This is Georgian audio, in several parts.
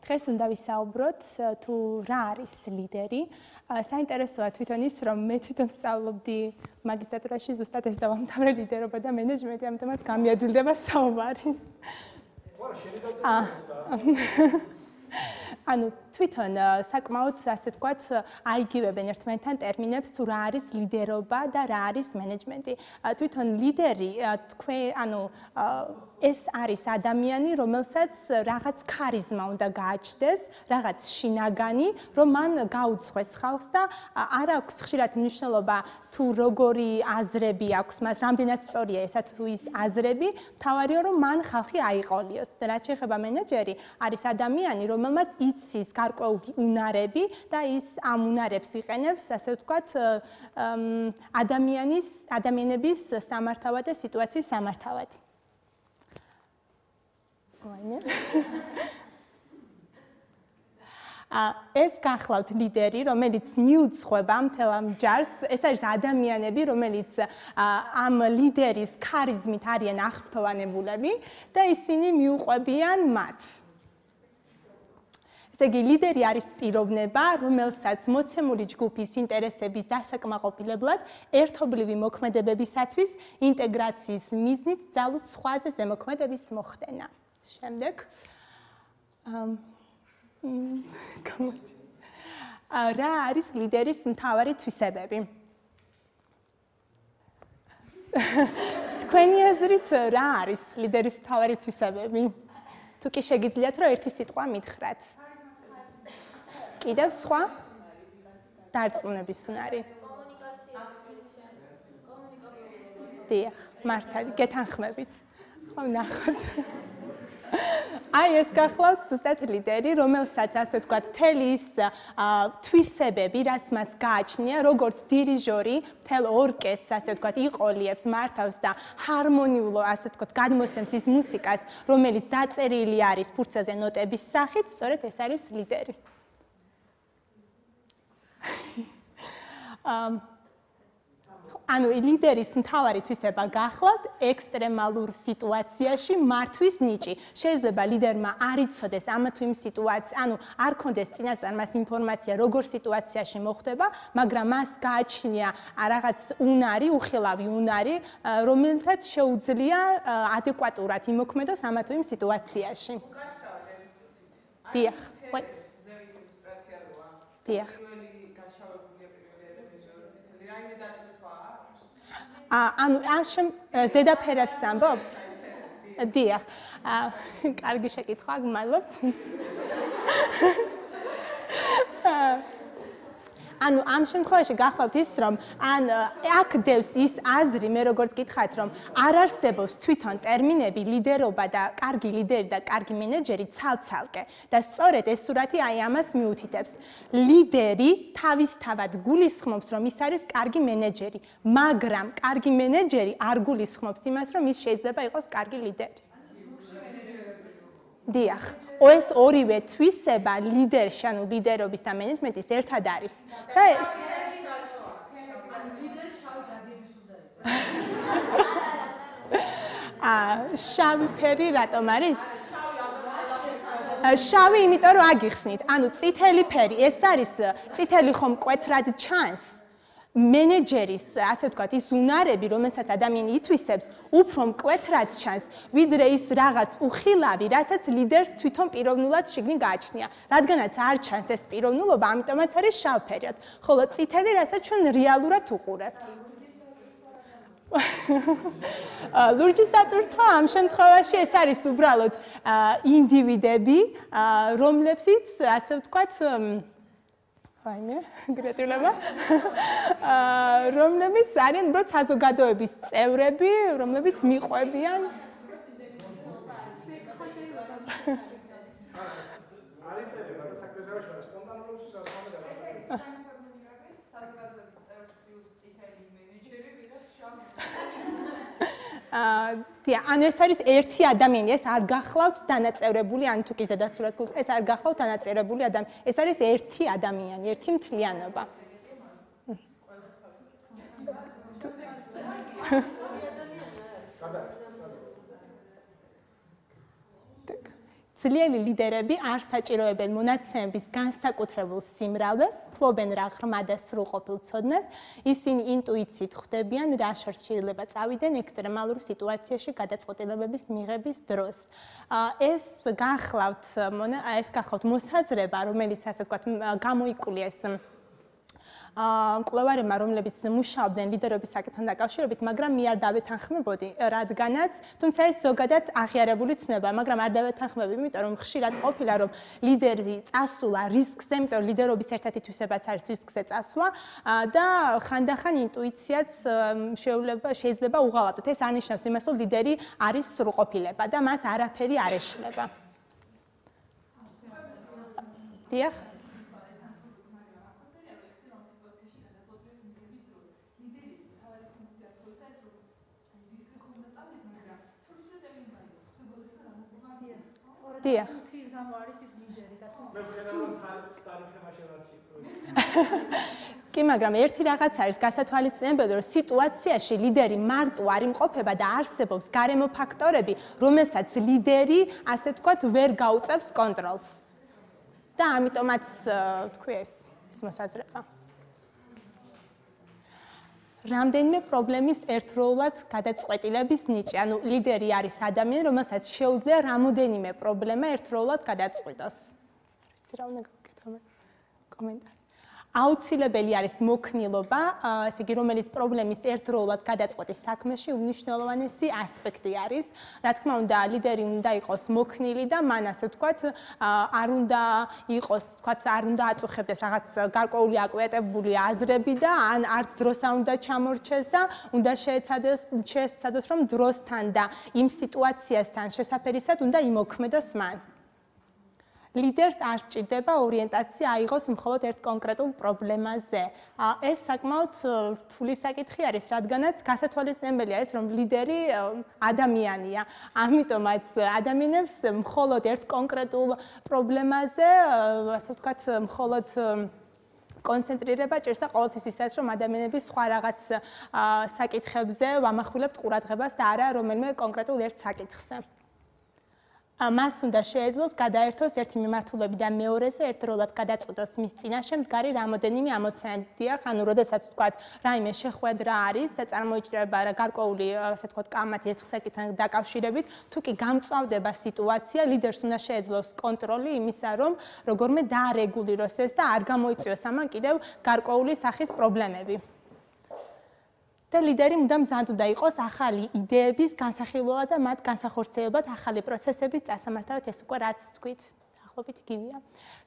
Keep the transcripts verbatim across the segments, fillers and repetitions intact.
დღეს უნდა ვისაუბროთ თუ რა არის ლიდერი. საინტერესოა თვითონ ის, რომ მე თვითონ სწავლობდი მაგისტრატურაში ზუსტად ეს დავამთავრე ლიდერობა და მენეჯმენტი, ამიტომაც გამიაძილდება საუბარი. ანუ თვითონ საკმაოდ ასე ვთქვათ, აიგივებენ ერთმანეთთან ტერმინებს თუ რა არის ლიდერობა და რა არის მენეჯმენტი. თვითონ ლიდერი თქვენ ანუ ეს არის ადამიანი, რომელსაც რაღაც ქარიზმა უნდა გააჩნდეს, რაღაც შინაგანი, რომ მან გაუძღვეს ხალხს და არ აქვს ხშირად მნიშვნელობა თუ როგორი აზრები აქვს მას, რამდენად სწორია ესა თუ ის აზრები, მთავარია რომ მან ხალხი აიყოლიოს. რაც შეეხება მენეჯერი, არის ადამიანი, რომელმაც იცის გარკვეული უნარები და ის ამ უნარებს იყენებს, ასე ვთქვათ, ადამიანის ადამიანების სამართავად და სიტუაციის სამართავად. ეს გახლავთ ლიდერი, რომელიც მიუძღვება მთელ ამ ჯარს, ეს არის ადამიანები, რომელიც ამ ლიდერის ქარიზმით არიან აღფრთოვანებულები და ისინი მიუყვებიან მათ. ესე იგი, ლიდერი არის პიროვნება, რომელსაც მოცემული ჯგუფის ინტერესების დასაკმაყოფილებლად ერთობლივი მოქმედებებისათვის ინტეგრაციის მიზნით ძალუს სხვაზე ზემოქმედების მოხდენა. შემდეგ რა არის ლიდერის მთავარი თვისებები? თქვენი აზრით რა არის ლიდერის მთავარი თვისებები? თუ კი შეგიძლიათ რომ ერთი სიტყვა მითხრათ. კიდევ სხვა? დარწმუნების უნარი. დიახ, მართალი, გეთანხმებით. ხო, ნახოთ. აი ეს გახლავთ ზუსტად ლიდერი, რომელსაც ასე ვთქვათ, მთელი ის თვისებები, რაც მას გააჩნია, როგორც დირიჟორი, მთელ ორკესტრს, ასე ვთქვათ, იყოლიებს, მართავს და ჰარმონიულო, ასე ვთქვათ, გადმოსცემს ის მუსიკას, რომელიც დაწერილი არის ფურცელზე ნოტების სახით, სწორედ ეს არის ლიდერი. ანუ ლიდერის მთავარი თვისება გახლავთ ექსტრემალურ სიტუაციაში მართვის ნიჭი. შეიძლება ლიდერმა არ იცოდეს ამა თუ იმ სიტუაცია, ანუ არ ქონდეს წინასწარ მას ინფორმაცია, როგორ სიტუაციაში მოხდება, მაგრამ მას გააჩნია რაღაც უნარი, უხილავი უნარი, რომელთაც შეუძლია ადეკვატურად იმოქმედოს ამა თუ იმ სიტუაციაში. დიახ. დიახ. ანუ ამ ზედაფერებს ამბობთ? დიახ. კარგი შეკითხვა, გმადლობთ. ანუ ამ შემთხვევაში გახლავთ ის, რომ ან აქ დევს ის აზრი, მე როგორც გითხარით, რომ არ არსებობს თვითონ ტერმინები ლიდერობა და კარგი ლიდერი და კარგი მენეჯერი ცალ-ცალკე და სწორედ ეს სურათი აი ამას მიუთითებს. ლიდერი თავისთავად გულისხმობს, რომ ის არის კარგი მენეჯერი, მაგრამ კარგი მენეჯერი არ გულისხმობს იმას, რომ ის შეიძლება იყოს კარგი ლიდერი. დიახ. ეს ორივე თვისება ლიდერში, ანუ ლიდერობის და მენეჯმენტის ერთად არის. და ეს შავი ფერი რატომ არის? შავი, იმიტომ რომ აგიხსნით. ანუ წითელი ფერი, ეს არის წითელი ხომ მკვეთრად ჩანს. მენეჯერის, ასე ვთქვათ, ის უნარები, რომელსაც ადამიანი ითვისებს, უფრო მკვეთრად ჩანს, ვიდრე ის რაღაც უხილავი, რასაც ლიდერს თვითონ პიროვნულად შიგნით გააჩნია. რადგანაც არ ჩანს ეს პიროვნულობა, ამიტომაც არის შავფერად, ხოლო წითელი, რასაც ჩვენ რეალურად უყურებთ. ლურჯის დატვირთვა ამ შემთხვევაში ეს არის უბრალოდ ინდივიდები, რომლებსაც, ასე ვთქვათ, აიმე, გრატულება. რომლებიც არიან უბრალოდ საზოგადოების წევრები, რომლებიც მიყვებიან. არის წერება და საკრებაში სპონტანურობის საზოგადოების საზოგადოების წევრს პლუს წითელი მენეჯერი კიდევ შავი. დიახ, ანუ ეს არის ერთი ადამიანი, ეს არ გახლავთ დანაწევრებული, ან თუ კი ზედასურათს გულს, ეს არ გახლავთ დანაწევრებული ადამიანი, ეს არის ერთი ადამიანი, ერთი მთლიანობა. ძლიერი ლიდერები არ საჭიროებენ მონაცემების განსაკუთრებულ სიმრავლეს, ფლობენ რა ღრმა და სრულყოფილ ცოდნას, ისინი ინტუიციით ხვდებიან, რა შეიძლება წავიდნენ ექსტრემალურ სიტუაციაში გადაწყვეტილებების მიღების დროს. ეს გახლავთ, ეს გახლავთ მოსაზრება, რომელიც ასე ვთქვათ, გამოიკვლია ეს მკვლევარებმა, რომლებიც მუშაობდნენ ლიდერობის საკითხთან დაკავშირებით, მაგრამ მე არ დავეთანხმებოდი, რადგანაც, თუმცა ეს ზოგადად აღიარებული ცნება, მაგრამ არ დავეთანხმები, იმიტომ რომ ხშირად ყოფილა, რომ ლიდერი წასულა რისკზე, იმიტომ რომ ლიდერობის ერთ-ერთი თვისებაც არის რისკზე წასვლა და ხანდახან ინტუიციაც შეიძლება უღალატოთ. ეს არნიშნავს იმას, რომ ლიდერი არის სრულყოფილება და მას არაფერი არ ეშლება. დიახ. დიახ. ფუნქციის გამო არის ის ლიდერი და თუ მე ვხედავ რომ სტარი თემა შევარჩიე. კი, მაგრამ ერთი რაღაც არის გასათვალისწინებელი, რომ სიტუაციაში ლიდერი მარტო არ იმყოფება და არსებობს გარემო ფაქტორები, რომელსაც ლიდერი, ასე ვთქვათ, ვერ გაუწევს კონტროლს. და ამიტომაც თქვი ეს ეს მოსაზრება. რამდენიმე პრობლემის ერთდროულად გადაწყვეტილების ნიჭი. ანუ ლიდერი არის ადამიანი, რომელსაც შეუძლია რამოდენიმე პრობლემა ერთდროულად გადაწყვიტოს. ვიცი რა უნდა გავაკეთო მე კომენტარი. აუცილებელი არის მოქნილობა, ესე იგი, რომელიც პრობლემის ერთდროულად გადაწყვეტის საქმეში უმნიშვნელოვანესი ასპექტი არის. რა თქმა უნდა, ლიდერი უნდა იყოს მოქნილი და მან ასე ვთქვათ, არ უნდა იყოს, ვთქვათ, არ უნდა აწუხებდეს რაღაც გარკვეული აკვიატებული აზრები და ან არც დროს არ უნდა ჩამორჩეს და უნდა შეეცადოს, შეეცადოს, რომ დროსთან და იმ სიტუაციასთან შესაძერისად უნდა იმოქმედოს მან. ლიდერს არ სჭირდება ორიენტაცია აიღოს მხოლოდ ერთ კონკრეტულ პრობლემაზე. ეს საკმაოდ რთული საკითხი არის, რადგანაც გასათვალისწინებელია ეს, რომ ლიდერი ადამიანია. ამიტომაც ადამიანებს მხოლოდ ერთ კონკრეტულ პრობლემაზე, ასე ვთქვათ, მხოლოდ კონცენტრირება ჭირს და ყოველთვის ის არის, რომ ადამიანები სხვა რაღაც საკითხებზე ვამახვილებთ ყურადღებას და არა რომელიმე კონკრეტულ ერთ საკითხზე. მას უნდა შეეძლოს გადაერთოს ერთი მიმართულებიდან მეორეზე, ერთდროულად გადაწყვეტოს მის წინაშე მდგარი რამოდენიმე ამოცანა. დიახ, ანუ როდესაც ვთქვათ, რაიმე შეხვედრა არის და წარმოიჭრება გარკვეული, ასე ვთქვათ, კამათი ერთ საკითხთან დაკავშირებით, თუ კი გამწვავდება სიტუაცია, ლიდერს უნდა შეეძლოს კონტროლი იმისა, რომ როგორმე დაარეგულიროს ეს და არ გამოიწვიოს ამან კიდევ გარკვეული სახის პრობლემები. და ლიდერი უნდა მზად უნდა იყოს ახალი იდეების განსახილველად და მათ განსახორციელებად ახალი პროცესების წასამართავად, ეს უკვე რაც თქვით, დაახლოებით იგივეა.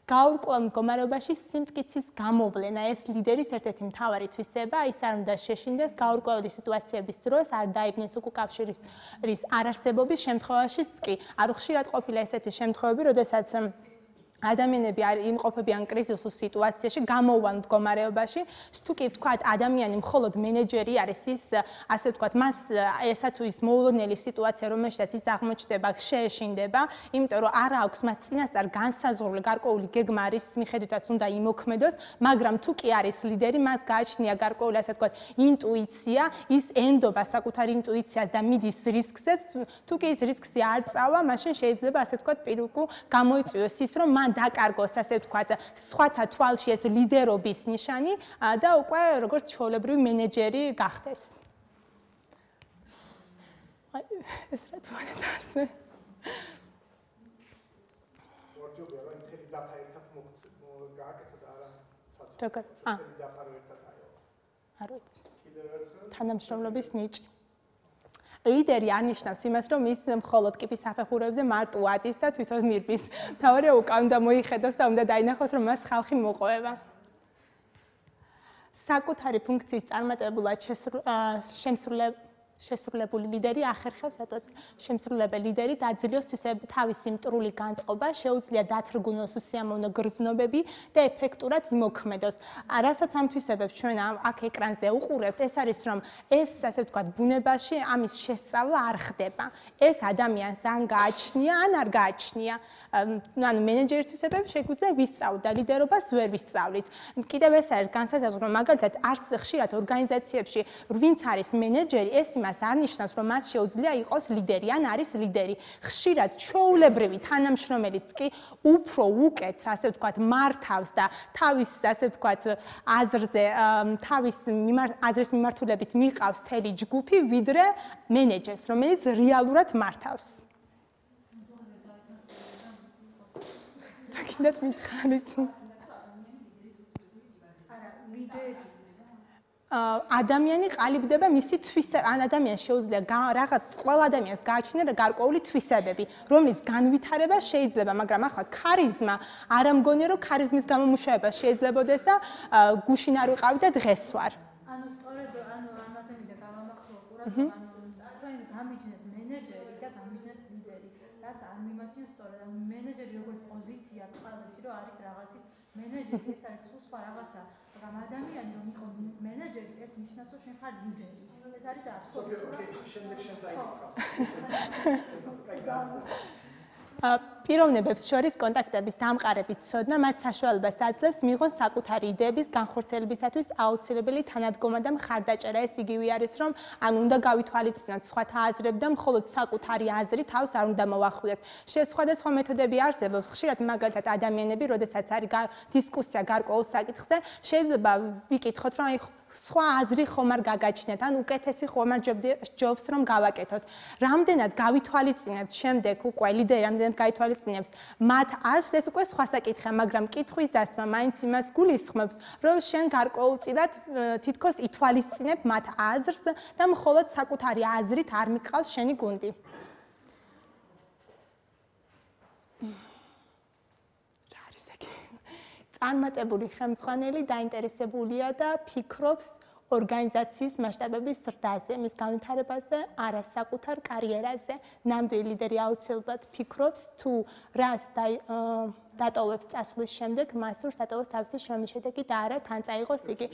გაურკვეველ მდგომარეობაში სიმტკიცის გამოვლენა, ეს ლიდერის ერთ-ერთი მთავარი თვისება, ის არ უნდა შეშინდეს გაურკვეველი სიტუაციების დროს, არ დაიბნეს უკავშირის არარსებობის შემთხვევაშიც კი. არ ხშირად ყოფილა ესეთი შემთხვევები, როდესაც ადამიანები არ იმყოფებიან კრიზისულ სიტუაციაში, გამოუვალ მდგომარეობაში, თუ კი ვთქვათ, ადამიანი მხოლოდ მენეჯერი არის, ის ასე ვთქვათ, მას ესა თუ ის მოულოდნელი სიტუაცია, რომელშიც ის აღმოჩნდება, შეეშინდება, იმიტომ რომ არ აქვს მას წინასწარ განსაზღვრული გარკვეული გეგმა არის, მიხედვითაც უნდა იმოქმედოს, მაგრამ თუ კი არის ლიდერი, მას გააჩნია გარკვეული, ასე ვთქვათ, ინტუიცია, ის ენდობა საკუთარ ინტუიციას და მიდის რისკზე, თუ კი ის რისკზე არ წავა, მაშინ შეიძლება, ასე ვთქვათ, პირუკუ გამოიწვიოს ის, რომ მან დაკარგოს, ასე ვთქვათ, სხვათა თვალში ეს ლიდერობის ნიშანი და უკვე როგორც ჩვეულებრივი მენეჯერი გახდეს. აი, ეს რა თქმა უნდა ასე. ვარჯობია, რომ მთელი დაფა ერთად გააკეთო და არა ცაცი. როგორ? აა. მთელი დაფა ერთად აიღო. არ ვიცი. კიდევ ერთხელ თანამშრომლობის ნიჭი. ლიდერი არ ნიშნავს იმას, რომ ის მხოლოდ კიპის საფეხურებზე მარტო ადის და თვითონ მირბის. მთავარია უკან უნდა მოიხედოს და უნდა დაინახოს, რომ მას ხალხი მოყვება. საკუთარი ფუნქციის წარმატებულად შემსრულებელი შესრულებული ლიდერი ახერხებს ატოც შემსრულებელი ლიდერი დაძლიოს თავისი მტრული განწყობა, შეუძლია დათრგუნოს უსიამოვნო გრძნობები და ეფექტურად იმოქმედოს. რასაც ამ თვისებებს ჩვენ აქ ეკრანზე უყურებთ, ეს არის რომ ეს ასე ვთქვათ ბუნებაში ამის შესწავლა არ ხდება. ეს ადამიანს ან გააჩნია, ან არ გააჩნია. ანუ მენეჯერის თვისებებს შეგვიძლია ვისწავლოთ და ლიდერობას ვერ ვისწავლით. კიდევ ეს არის განსაზღვრო, მაგალითად არც ხშირად ორგანიზაციებში ვინც არის მენეჯერი, ეს იმას იმას არ ნიშნავს, რომ მას შეუძლია იყოს ლიდერი ან არის ლიდერი. ხშირად ჩვეულებრივი თანამშრომელიც კი უფრო უკეთ, ასე ვთქვათ, მართავს და თავის, ასე ვთქვათ, აზრზე, თავის აზრის მიმართულებით მიყავს მთელი ჯგუფი, ვიდრე მენეჯერს, რომელიც რეალურად მართავს. გინდათ მითხარით? არა, ლიდერი ადამიანი ყალიბდება მისი თვისება, ან ადამიანს შეუძლია რაღაც ყველა ადამიანს გააჩნია გარკვეული თვისებები, რომლის განვითარება შეიძლება, მაგრამ ახლა ქარიზმა არ ამგონია, რომ ქარიზმის გამომუშავება შეიძლებაოდეს და გუშინ არ ვიყავი და დღეს ვარ. ანუ სწორედ ანუ ამაზე მინდა გავამახვილო ყურადღება, ანუ თქვენ გამიჩნეთ მენეჯერი და გამიჩნეთ ლიდერი. რაც არ მიმაჩნია სწორედ, ანუ მენეჯერი როგორც პოზიცია ჭყალებში, რომ არის რაღაცის მენეჯერი, ეს არის სულ სხვა რაღაცა. მაგრამ ადამიანი რომ იყო მენეჯერი, ეს ნიშნავს, რომ შენ ხარ ლიდერი. ეს არის აბსოლუტურად. შემდეგ შენ წაიკითხა. პიროვნებებს შორის კონტაქტების დამყარების ცოდნა მათ საშუალებას აძლევს მიიღონ საკუთარი იდეების განხორციელებისათვის აუცილებელი თანადგომა და მხარდაჭერა. ეს იგივე არის, რომ ან უნდა გავითვალისწინოთ სხვათა აზრები და მხოლოდ საკუთარი აზრი თავს არ უნდა მოვახვიოთ. სხვადასხვა მეთოდები არსებობს. ხშირად მაგალითად ადამიანები, როდესაც არის დისკუსია გარკვეულ საკითხზე, შეიძლება ვიკითხოთ, რომ აი სხვა აზრი ხომ არ გაგაჩნიათ, ან უკეთესი ხომ არ ჯობს რომ გავაკეთოთ. რამდენად გავითვალისწინებთ შემდეგ უკვე ლიდერი რამდენად გაითვალისწინებს მათ აზრს, ეს უკვე სხვა საკითხია, მაგრამ კითხვის დასმა მაინც იმას გულისხმობს, რომ შენ გარკვეულწილად თითქოს ითვალისწინებ მათ აზრს და მხოლოდ საკუთარი აზრით არ მიყავს შენი გუნდი. წარმატებული ხელმძღვანელი დაინტერესებულია და ფიქრობს ორგანიზაციის მასშტაბების ზრდაზე, მის განვითარებაზე, არა საკუთარ კარიერაზე. ნამდვილი ლიდერი აუცილებლად ფიქრობს თუ რას დატოვებს წასვლის შემდეგ, მას სურს დატოვოს თავისი შრომის შედეგი და არა თან წაიღოს იგი.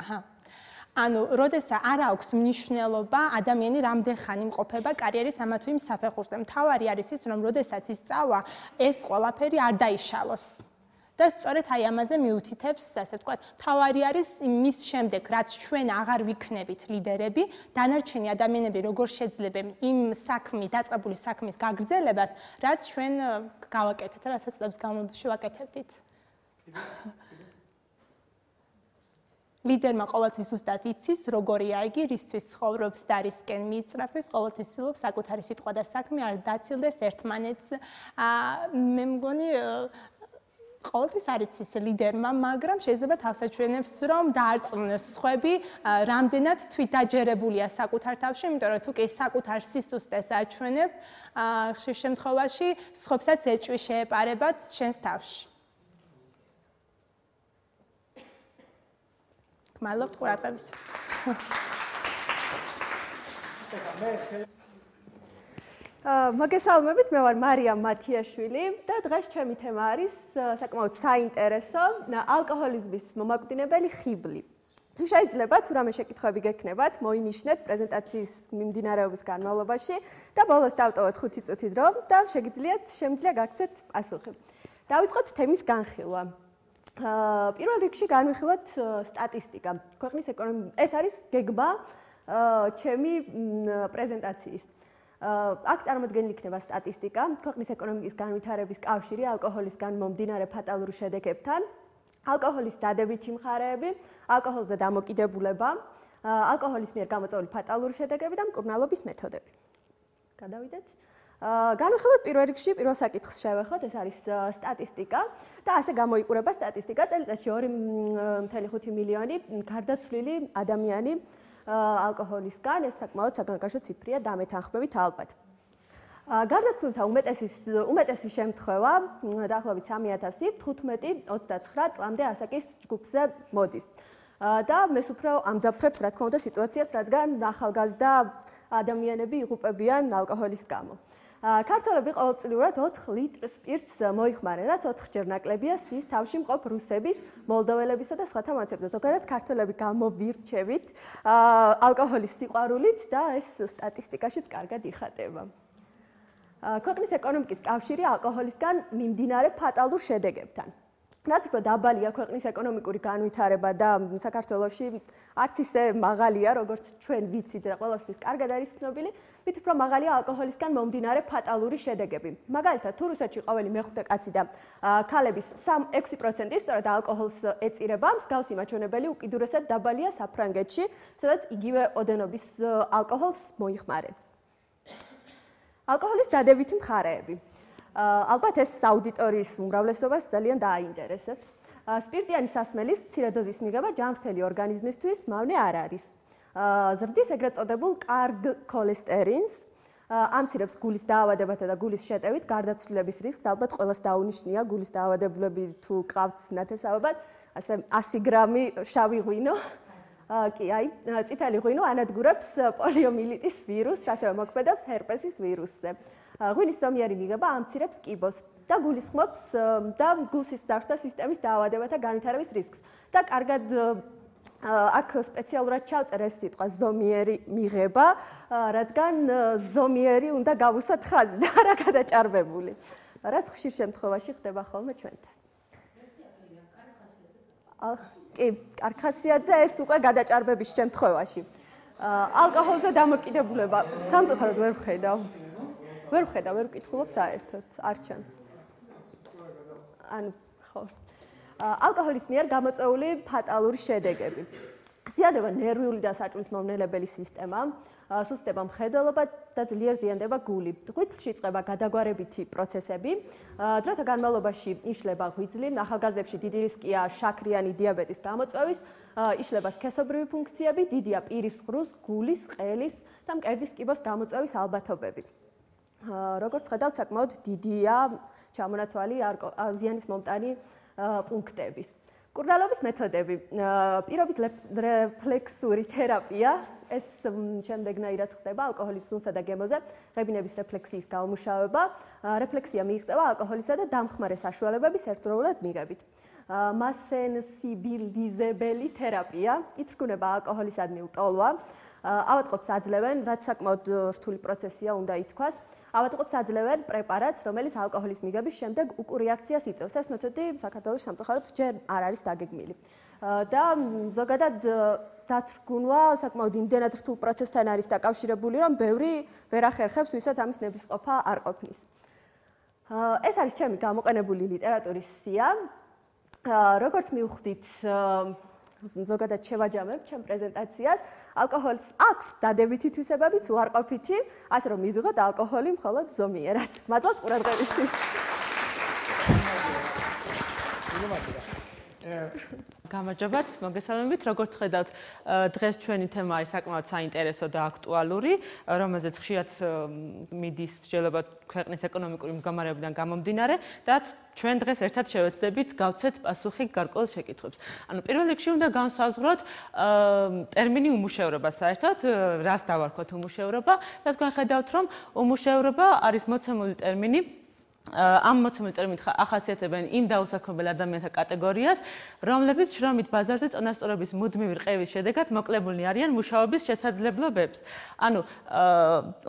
აჰა. ანუ, როდესაც არ აქვს მნიშვნელობა ადამიანი რამდენ ხანი იმყოფება კარიერის ამა თუ იმ საფეხურზე. მთავარი არის ის, რომ როდესაც ის წავა, ეს ყველაფერი არ დაიშალოს. და სწორედ აი ამაზე მიუთითებს, ასე ვთქვათ, მთავარი არის მის შემდეგ, რაც ჩვენ აღარ ვიქნებით ლიდერები, დანარჩენი ადამიანები როგორ შეძლებენ იმ საქმის, დაწყებული საქმის გაგრძელებას, რაც ჩვენ გავაკეთეთ, რასაც წლების განმავლობაში ვაკეთებდით. ლიდერმა ყოველთვის ზუსტად იცის, როგორია იგი, რისთვის ცხოვრობს და რისკენ მიიწრაფეს, ყოველთვის ცდილობს საკუთარი სიტყვა და საქმე არ დაცილდეს ერთმანეთს. მე მგონი ყოველთვის არ იცის ლიდერმა, მაგრამ შეიძლება თავსაჩვენებს, რომ დაარწმუნოს სხვები, რამდენად თვითდაჯერებულია საკუთარ თავში, იმიტომ რომ თუ კი საკუთარ სისუსტეს აჩვენებ, ხშირ შემთხვევაში სხვებსაც ეჭვი შეეპარებათ შენს თავში. მადლობთ ყურადღებისთვის. მოგესალმებით, მე ვარ მარიამ მათიაშვილი და დღეს ჩემი თემა არის საკმაოდ საინტერესო ალკოჰოლიზმის მომაკვდინებელი ხიბლი. თუ შეიძლება თუ რამე შეკითხვები გექნებათ, მოინიშნეთ პრეზენტაციის მიმდინარეობის განმავლობაში და ბოლოს დავტოვოთ ხუთი წუთი დრო და შეგიძლიათ შემიძლია გაგცეთ პასუხი. დავიწყოთ თემის განხილვა. პირველ რიგში განვიხილოთ სტატისტიკა. ქვეყნის ეკონომიკა ეს არის გეგმა ჩემი პრეზენტაციის. აქ წარმოდგენილი იქნება სტატისტიკა ქვეყნის ეკონომიკის განვითარების კავშირი ალკოჰოლისგან მომდინარე ფატალურ შედეგებთან, ალკოჰოლის დადებითი მხარეები, ალკოჰოლზე დამოკიდებულება, ალკოჰოლის მიერ გამოწვეული ფატალური შედეგები და მკურნალობის მეთოდები. გადავიდეთ. განვიხილოთ პირველ რიგში პირველ საკითხს შევეხოთ, ეს არის სტატისტიკა და ასე გამოიყურება სტატისტიკა წელიწადში ორი კoma ხუთი მილიონი გარდაცვლილი ადამიანი ალკოჰოლისგან, ეს საკმაოდ საგანგაშო ციფრია დამეთანხმებით ალბათ. გარდაცვლილთა უმეტესის უმეტესი შემთხვევა დაახლოებით სამი ათასი თხუთმეტი ოცდაცხრა წლამდე ასაკის ჯგუფზე მოდის. და მეს უფრო ამძაფრებს რა თქმა უნდა სიტუაციას, რადგან ახალგაზრდა ადამიანები იღუპებიან ალკოჰოლის გამო. ქართველები ყოველწლიურად ოთხ ლიტრ სპირტს მოიხმარენ, რაც ოთხჯერ ნაკლებია სის თავში მყოფ რუსების, მოლდოველებისა და სხვათა მონაცემებზე. ზოგადად ქართველები გამოვირჩევით ალკოჰოლის სიყვარულით და ეს სტატისტიკაშიც კარგად იხატება. ქვეყნის ეკონომიკის კავშირი ალკოჰოლისგან მიმდინარე ფატალურ შედეგებთან. რაც უფრო დაბალია ქვეყნის ეკონომიკური განვითარება და საქართველოში არც ისე მაღალია, როგორც ჩვენ ვიცით და ყველასთვის კარგად არის ცნობილი, მით უფრო მაღალია ალკოჰოლისგან მომდინარე ფატალური შედეგები. მაგალითად, თუ რუსეთში ყოველი მეხუთე კაცი და ქალების ექვსი პროცენტი სწორედ ალკოჰოლს ეწირება, მსგავსი მაჩვენებელი უკიდურესად დაბალია საფრანგეთში, სადაც იგივე ოდენობის ალკოჰოლს მოიხმარენ. ალკოჰოლის დადებითი მხარეები. ალბათ ეს აუდიტორიის უმრავლესობას ძალიან დააინტერესებს. სპირტიანი სასმელის მცირე დოზის მიღება ჯანმრთელი ორგანიზმისთვის მავნე არ არის. ზრდის ეგრეთ წოდებულ კარგ ქოლესტერინს, ამცირებს გულის დაავადებათა და გულის შეტევით გარდაცვლილების რისკს, ალბათ ყველას დაუნიშნია გულის დაავადებულები თუ ყავთ ნათესავებად, ასე ასი გრამი შავი ღვინო, კი, აი, წითელი ღვინო ანადგურებს პოლიომიელიტის ვირუსს, ასევე მოქმედებს ჰერპესის ვირუსზე. ღვინის ზომიერი მიღება ამცირებს კიბოს და გულისხმობს და გულსის დარღვთა სისტემის დაავადებათა განვითარების რისკს. და კარგად აქ სპეციალურად ჩავწერ ეს სიტყვა ზომიერი მიღება, რადგან ზომიერი უნდა გავუსვათ ხაზი და არა გადაჭარბებული. რაც ხშირ შემთხვევაში ხდება ხოლმე ჩვენთან. კი, კარგ ხასიათზე ეს უკვე გადაჭარბების შემთხვევაში. ალკოჰოლზე დამოკიდებულება სამწუხაროდ ვერ ვხედავ. ვერ ვხედავ, ვერ ვკითხულობ საერთოდ, არ ჩანს. ანუ ხო. ალკოჰოლის მიერ გამოწვეული ფატალური შედეგები. ზიადება ნერვიული და საჭმლის მომნელებელი სისტემა, სუსტდება მხედველობა და ძლიერ ზიანდება გული. ღვიძლში იწყება გადაგვარებითი პროცესები, დროთა განმავლობაში იშლება ღვიძლი, ახალგაზრდებში დიდი რისკია შაქრიანი დიაბეტის გამოწვევის, იშლება სქესობრივი ფუნქციები, დიდია პირის ღრუს, გულის, ყელის და მკერდის კიბოს გამოწვევის ალბათობები. როგორც ხედავთ, საკმაოდ დიდია ჩამონათვალი ზიანის მომტანი პუნქტების. კურნალობის მეთოდები. პირობით რეფლექსური თერაპია, ეს შემდეგნაირად ხდება ალკოჰოლის სუნსა და გემოზე, ღებინების რეფლექსიის გამომუშავება, რეფლექსია მიიღწევა ალკოჰოლისა და დამხმარე საშუალებების ერთდროულად მიღებით. მასენსიბილიზებელი თერაპია, ითრგუნება ალკოჰოლისადმი ლტოლვა, ავადმყოფს აძლევენ, რაც საკმაოდ რთული პროცესია უნდა ითქვას. ავადმყოფს აძლევენ პრეპარატს, რომელიც ალკოჰოლის მიღების შემდეგ უკურიაქციას იწვევს. ეს მეთოდი საქართველოს სამწუხაროდ ჯერ არ არის დაგეგმილი. და ზოგადად დათრგუნვა საკმაოდ იმდენად რთულ პროცესთან არის დაკავშირებული, რომ ბევრი ვერ ახერხებს, ვისაც ამის ნებისყოფა არ ყოფნის. ეს არის ჩემი გამოყენებული ლიტერატურის სია. როგორც მივხვდით, ზოგადად შევაჯამებ ჩემ პრეზენტაციას, ალკოჰოლს აქვს დადებითი თვისებებიც, უარყოფითი, ასე რომ მივიღოთ ალკოჰოლი მხოლოდ ზომიერად. მადლობთ ყურადღებისთვის. გამარჯობათ, მოგესალმებით. როგორც ხედავთ, დღეს ჩვენი თემა არის საკმაოდ საინტერესო და აქტუალური, რომელზეც ხშირად მიდის მსჯელობა ქვეყნის ეკონომიკური მდგომარეობიდან გამომდინარე და ჩვენ დღეს ერთად შევეცდებით გავცეთ პასუხი გარკვეულ შეკითხვებს. ანუ პირველ რიგში უნდა განსაზღვროთ ტერმინი უმუშევრობა საერთოდ, რას დავარქვათ უმუშევრობა და თქვენ ხედავთ, რომ უმუშევრობა არის მოცემული ტერმინი. ამ მოცემული ტერმინით ახასიათებენ იმ დაუსაქმებელ ადამიანთა კატეგორიას, რომლებიც შრომით ბაზარზე წონასწორობის მუდმივი რყევის შედეგად მოკლებულნი არიან მუშაობის შესაძლებლობებს. ანუ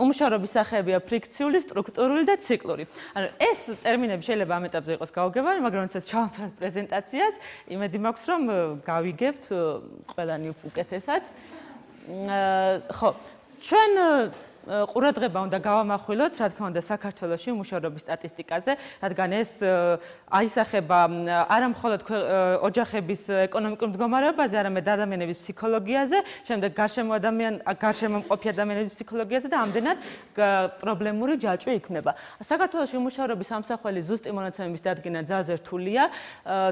უმუშევრობის სახეებია ფრიქციული, სტრუქტურული და ციკლური. ანუ ეს ტერმინები შეიძლება ამ ეტაპზე იყოს გაუგებარი, მაგრამ როდესაც ჩავამთავრებთ პრეზენტაციას, იმედი მაქვს, რომ გავიგებთ ყველანი უკეთესად. ხო, ჩვენ ყურადღება უნდა გავამახვილოთ, რა თქმა უნდა, საქართველოში უმუშევრობის სტატისტიკაზე, რადგან ეს აისახება არა მხოლოდ ოჯახების ეკონომიკურ მდგომარეობაზე, არამედ ადამიანების ფსიქოლოგიაზე, შემდეგ გარშემო ადამიან გარშემომყოფი ადამიანების ფსიქოლოგიაზე და ამდენად პრობლემური ჯაჭვი იქნება. საქართველოში უმუშევრობის ამსახველი ზუსტი მონაცემების დადგენა ძალზე რთულია,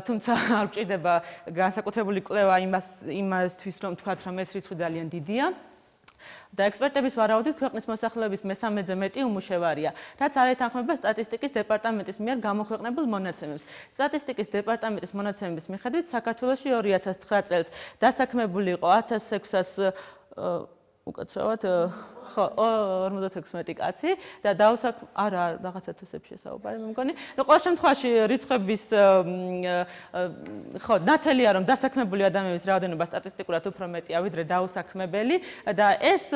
თუმცა არ გვჭირდება განსაკუთრებული კვლევა იმას იმასთვის, რომ თქვათ, რომ ეს რიცხვი ძალიან დიდია. და ექსპერტების ვარაუდით ქვეყნის მოსახლეობის მესამედზე მეტი უმუშევარია, რაც არ ეთანხმება სტატისტიკის დეპარტამენტის მიერ გამოქვეყნებულ მონაცემებს. სტატისტიკის დეპარტამენტის მონაცემების მიხედვით საქართველოში ორი ათას ცხრა წელს დასაქმებული იყო ათას ექვსას უკაცრავად ხო ორმოცდათექვსმეტი კაცი და დავსაკ არა რაღაცა თესებში საუბარი მე მგონი. ნუ ყოველ შემთხვევაში რიცხვების ხო ნათელია რომ დასაქმებული ადამიანების რაოდენობა სტატისტიკურად უფრო მეტია ვიდრე დაუსაქმებელი და ეს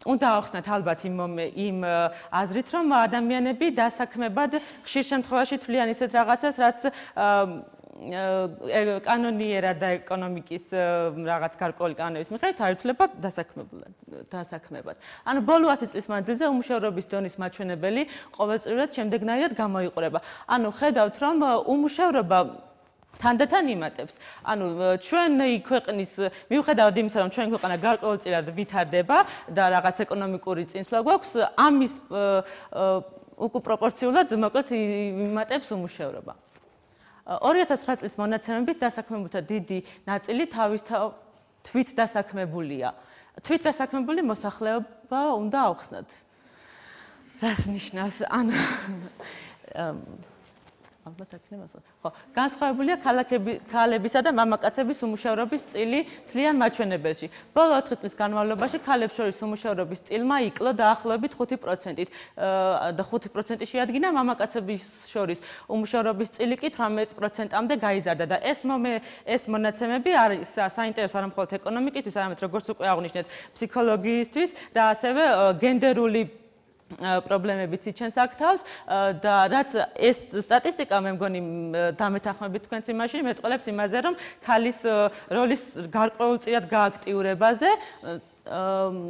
უნდა ახსნათ ალბათ იმ იმ აზრით რომ ადამიანები დასაქმებად ხშირ შემთხვევაში თვლიან ისეთ რაღაცას რაც კანონიერა და ეკონომიკის რაღაც გარკვეული კანონების მიხედვით არ იცვლება დასაქმებულად დასაქმებად. ანუ ბოლო ათი წლის მანძილზე უმუშევრობის დონის მაჩვენებელი ყოველწლიურად შემდეგნაირად გამოიყურება. ანუ ხედავთ რომ უმუშევრობა თანდათან იმატებს. ანუ ჩვენი ქვეყნის მიუხედავად იმისა რომ ჩვენი ქვეყანა გარკვეულწილად ვითარდება და რაღაც ეკონომიკური წინსვლა გვაქვს ამის უკუპროპორციულად მოკლედ იმატებს უმუშევრობა. ორი ათას ცხრა წლის მონაცემებით დასაქმებულთა დიდი ნაწილი თვით დასაქმებულია. თვით დასაქმებული მოსახლეობა უნდა ავხსნათ. რას ნიშნავს? ან ალბათ აქნე მასა. ხო, განსხვავებულია ქალებისა და მამაკაცების უმუშევრობის წილი თლიან მაჩვენებელში. ბოლო ოთხი წლის განმავლობაში ქალებს შორის უმუშევრობის წილმა იკლო დაახლოებით ხუთი პროცენტით და ხუთი პროცენტი შეადგინა, მამაკაცების შორის უმუშევრობის წილი კი თვრამეტ პროცენტამდე გაიზარდა და ეს ეს მონაცემები არის საინტერესო არა მხოლოდ ეკონომიკისთვის, არამედ როგორც უკვე აღვნიშნეთ, ფსიქოლოგიისთვის და ასევე გენდერული პრობლემებიც იჩენს აქ თავს და რაც ეს სტატისტიკა მე მგონი დამეთანხმებით თქვენს იმაში მეტყოლებს იმაზე რომ ქალის როლის გარკვეულწილად გააქტიურებაზე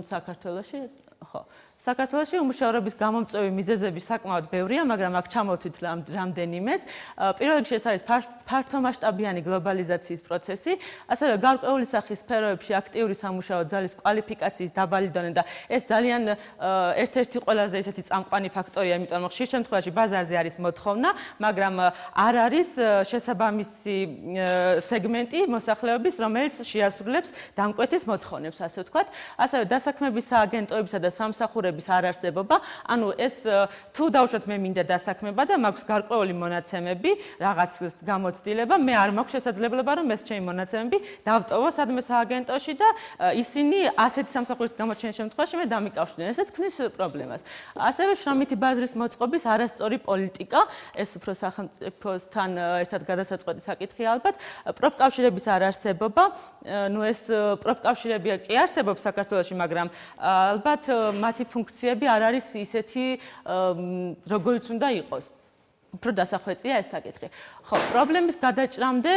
საქართველოში ხო საქართველოში უმუშევრობის გამომწვევი მიზეზები საკმაოდ ბევრია, მაგრამ აქ ჩამოვთვით რამდენიმეს. პირველ რიგში ეს არის ფართომასშტაბიანი გლობალიზაციის პროცესი, ასევე გარკვეული სახის სფეროებში აქტიური სამუშაო ძალის კვალიფიკაციის დაბალი დონე და ეს ძალიან ერთ-ერთი ყველაზე ისეთი წამყვანი ფაქტორია, იმიტომ რომ ხშირ შემთხვევაში ბაზარზე არის მოთხოვნა, მაგრამ არ არის შესაბამისი სეგმენტი მოსახლეობის, რომელიც შეასრულებს დამკვეთის მოთხოვნებს, ასე ვთქვათ. ასევე დასაქმების სააგენტოებისა და სამსახურების არ არსებობა, ანუ ეს თუ დავუშვათ მე მინდა დასაქმება და მაქვს გარკვეული მონაცემები, რაღაც გამოცდილება, მე არ მაქვს შესაძლებლობა რომ ეს ჩემი მონაცემები დავტოვო სადმე სააგენტოში და ისინი ასეთი სამსახურის გამოჩენის შემთხვევაში მე დამიკავშირდნენ. ესეც ქმნის პრობლემას. ასევე შრომითი ბაზრის მოწყობის არასწორი პოლიტიკა, ეს უფრო სახელმწიფოსთან ერთად გადასაწყვეტი საკითხია ალბათ, პროფკავშირების არ არსებობა, ნუ ეს პროფკავშირებია კი არსებობს საქართველოში, მაგრამ ალბათ მათი ფუნქციები არ არის ისეთი როგორიც უნდა იყოს. უფრო დასახვეწია ეს საკითხი. ხო, პრობლემის გადაჭრამდე,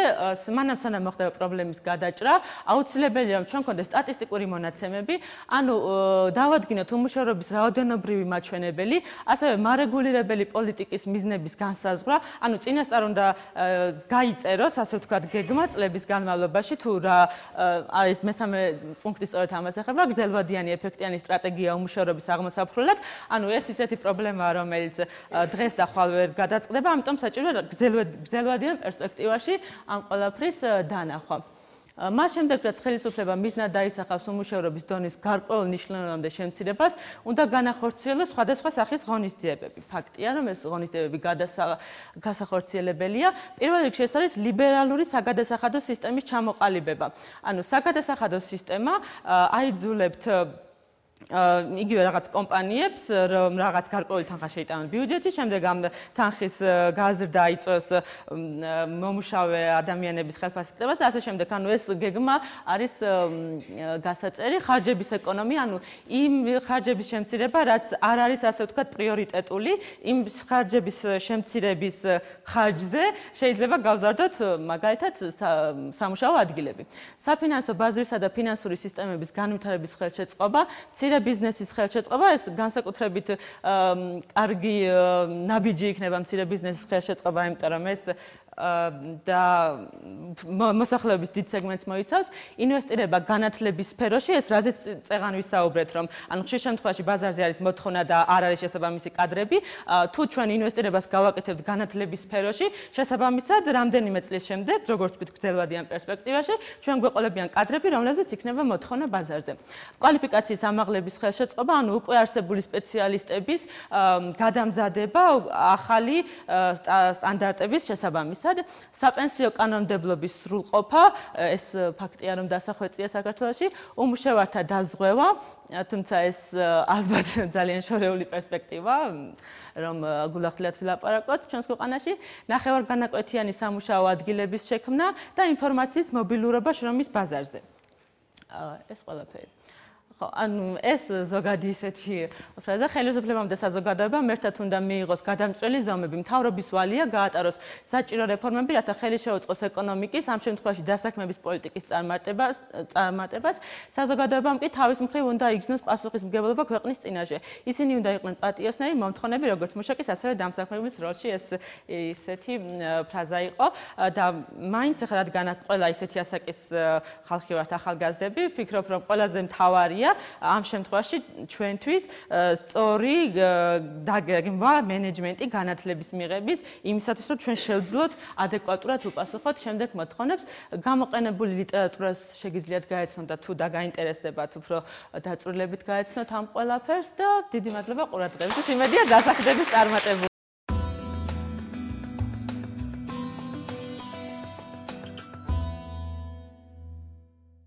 მანამ სანამ მოხდება პრობლემის გადაჭრა, აუცილებელია რომ ჩვენ გვქონდეს სტატისტიკური მონაცემები, ანუ დავადგინოთ უმუშევრობის რაოდენობრივი მაჩვენებელი, ასევე მარეგულირებელი პოლიტიკის მიზნების განსაზღვრა, ანუ წინასწარ უნდა გაიწეროს, ასე ვთქვათ, გეგმა წლების განმავლობაში, თუ რა ეს მესამე პუნქტი სწორედ ამას ეხება, გრძელვადიანი ეფექტიანი სტრატეგია უმუშევრობის აღმოსაფხვრელად, ანუ ეს ისეთი პრობლემაა, რომელიც დღეს და ხვალ ვერ გადაწყდება, ამიტომ საჭიროა გრძელვადიან პერსპექტივაში ამ ყველაფრის დანახვა. მას შემდეგ, რაც ხელისუფლება მიზნად დაისახავს უმუშევრობის დონის გარკვეულ ნიშნულოვანამდე შემცირებას, უნდა განახორციელოს სხვადასხვა სახის ღონისძიებები. ფაქტია, რომ ეს ღონისძიებები გასახორციელებელია. პირველ რიგში ეს არის ლიბერალური საგადასახადო სისტემის ჩამოყალიბება. ანუ საგადასახადო სისტემა აიძულებთ იგივე რაღაც კომპანიებს, რომ რაღაც გარკვეული თანხა შეიტანონ ბიუჯეტში, შემდეგ ამ თანხის გაზრდა იწვევს მომუშავე ადამიანების ხელფასილებას და ასე შემდეგ. ანუ ეს გეგმა არის გასაწერი ხარჯების ეკონომია, ანუ იმ ხარჯების შემცირება, რაც არ არის ასე ვთქვათ პრიორიტეტული, იმ ხარჯების შემცირების ხარჯზე შეიძლება გავზარდოთ მაგალითად სამუშაო ადგილები. საფინანსო ბაზრისა და ფინანსური სისტემების განვითარების ხელშეწყობა, მცირე ბიზნესის ხელშეწყობა, ეს განსაკუთრებით კარგი ნაბიჯი იქნება მცირე ბიზნესის ხელშეწყობა, იმიტომ რომ ეს და მოსახლეობის დიდ სეგმენტს მოიცავს, ინვესტირება განათლების სფეროში, ეს რაზეც წეღან ვისაუბრეთ, რომ ანუ ხშირ შემთხვევაში ბაზარზე არის მოთხოვნა და არ არის შესაბამისი კადრები, თუ ჩვენ ინვესტირებას გავაკეთებთ განათლების სფეროში, შესაბამისად რამდენიმე წლის შემდეგ, როგორც ვთქვით, გრძელვადიან პერსპექტივაში, ჩვენ გვეყოლებიან კადრები, რომლებზეც იქნება მოთხოვნა ბაზარზე. კვალიფიკაციის ამაღლების ხელშეწყობა, ანუ უკვე არსებული სპეციალისტების გადამზადება ახალი სტანდარტების შესაბამისად. უმთავრესად საპენსიო კანონმდებლობის სრულყოფა, ეს ფაქტია, რომ დასახვეწია საქართველოში, უმუშევართა დაზღვევა, თუმცა ეს ალბათ ძალიან შორეული პერსპექტივა, რომ გულახდილად ვილაპარაკოთ ჩვენს ქვეყანაში, ნახევარგანაკვეთიანი სამუშაო ადგილების შექმნა და ინფორმაციის მობილურობა შრომის ბაზარზე. ეს ყველაფერი. ხო, ანუ ეს ზოგადი ისეთი ფრაზა ხელისუფლებამ და საზოგადოებამ ერთად უნდა მიიღოს გადამწყვეტი ზომები, მთავრობის ვალია გაატაროს საჭირო რეფორმები, რათა ხელი შეუწყოს ეკონომიკის, ამ შემთხვევაში დასაქმების პოლიტიკის წარმატებას, წარმატებას, საზოგადოებამ კი თავის მხრივ უნდა იგრძნოს პასუხისმგებლობა ქვეყნის წინაშე. ისინი უნდა იყვნენ პატიოსნები, მომთხოვნები, როგორც მუშაკის, ასევე დამსაქმების როლში. ეს ისეთი ფრაზა იყო და მაინც ახლა რადგანაც ყველა ისეთი ასაკის ხალხი ვართ ახალგაზრდები, ვფიქრობ, რომ ყველაზე მთავარია ამ შემთხვევაში ჩვენთვის სწორი დაგეგმვა მენეჯმენტი განათლების მიღების იმისათვის რომ ჩვენ შევძლოთ ადეკვატურად უპასუხოთ შემდეგ მოთხოვნებს გამოყენებული ლიტერატურას შეგიძლიათ გაეცნოთ და თუ დაგაინტერესდებათ უფრო დაწვრილებით გაეცნოთ ამ ყველაფერს და დიდი მადლობა ყურადღებისთვის იმედია დასაქმდებით წარმატებული